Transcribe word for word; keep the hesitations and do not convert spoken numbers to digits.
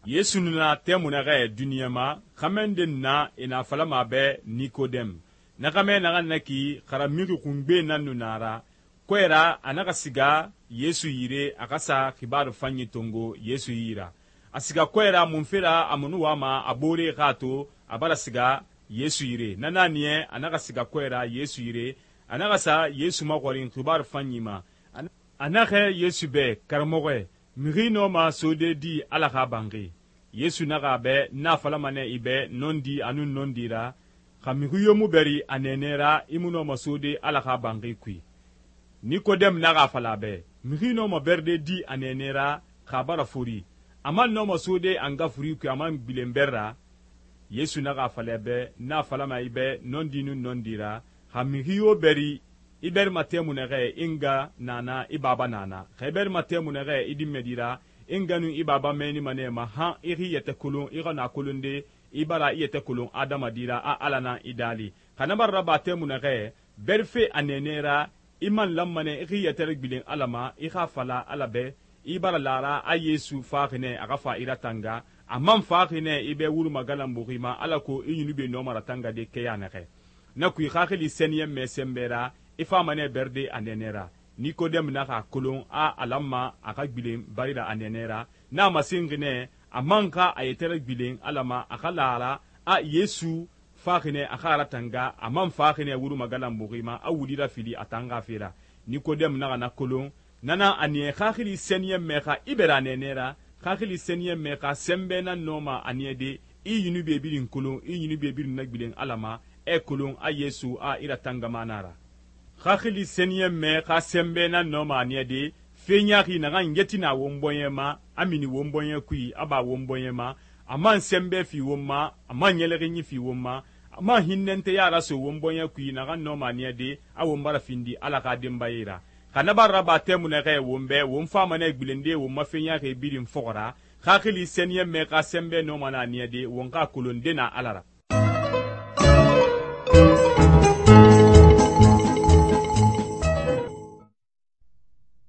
Yesu nu na tɛmui naxɛ duniɲa ma, xɛmɛ nde nu na e na falama a bɛ Nikodɛmu. Na xɛmɛ naxan na ki xara mixi xungbe nan nu na a ra, kɔɛ ra a naxa siga Yesu yire a xa sa xibaaru fanyi tongo Yesu yi ra. A siga kɔɛ ra munfe ra a mu nu wama a boore xa a to a bara siga Yesu yire. Na na niya a naxa siga kɔɛ ra Yesu yire, a naxa sa Yesu maxɔrin xibaaru fanyi ma. A naxɛ Yesu bɛ, karamɔxɔɛ, mixi nɔma sode di Ala xa banxi. Yesu naxa a bɛ, n a falama nɛ i bɛ nɔndi a nun nɔndi ra, xa mixi yo mu bɛri a nɛɛnɛ ra i mu nɔma sode Ala xa banxi kui. Nikodɛmu naxa a fala a bɛ, mixi nɔma bɛride di a nɛɛnɛ ra xa a bara fori, a man nɔma sode a nga furi kui a man gbilen bɛr ra. Yesu naxa a fala a bɛ, n a falama i bɛ nɔndi nun nɔndi ra, xa mixi yo bɛri i bɛrima tɛmui naxɛ i nga na na i baba na na, xa i bɛrima tɛmui naxɛ i dinmɛdi ra i nga nun i baba mɛnima nɛ ma han i xi yɛtɛ kolon i xa na kolonde i bara i yɛtɛ kolon adamadi ra a Ala na i daali. Xa na bara raba tɛmui naxɛ bɛrife a nɛɛnɛ ra i man lanma nɛ i xi yɛtɛ ragbilen Ala ma i xa fala Ala bɛ i bara lara a Yesu faxi nɛ a xa fa i ratanga, a man faxi nɛ i bɛ wuru magalanbuxi ma alako i ɲunube nɔma ratangade kɛya naxɛ. Na kui xaxili sɛniyɛnmɛ sɛnbɛ ra i fama nɛ bɛride a nɛɛnɛ ra. Nikodɛmu naxa a kolon a a lanma a xa gbilen barira a nɛɛnɛ ra, n'a masenxi nɛ a man xa a yɛtɛ ragbilen Ala ma a xa lara a Yesu faxi nɛ a xa ratanga, a man faxi nɛ wuru magalanbuxi ma a wuli rafili a tan xa fe ra. Nikodɛmu naxa na kolon, nana a niya xaxili sɛniyɛnmɛ xa i bɛra a nɛɛnɛ ra, xaxili sɛniyɛnmɛ xa sɛnbɛ nan nɔma a niyade i ɲunube birin kolon i ɲunube birin nagbilen Ala ma ɛ kolon a Yesu a i ratangama na ra. Xaxili sɛniyɛnmɛ xa sɛnbɛ nan nɔma a niyade fe ɲaxi naxan yetina won bɔɲɛ ma a mini won bɔɲɛ kui a ba won bɔɲɛ ma, a man sɛnbɛ fi won ma, a man ɲɛlɛxinɲi fi won ma, a man hinnɛntɛya raso won bɔɲɛ kui naxan nɔma a niyade a won bara findi Ala xa denbaye ra. Xa na bara raba tɛmui naxɛ won bɛ won fama nɛ gbilende won ma fe ɲaxi birin fɔxɔ ra, xaxili sɛniyɛnmɛ xa sɛnbɛ nɔma na a niyade won xa kolon de na Ala ra.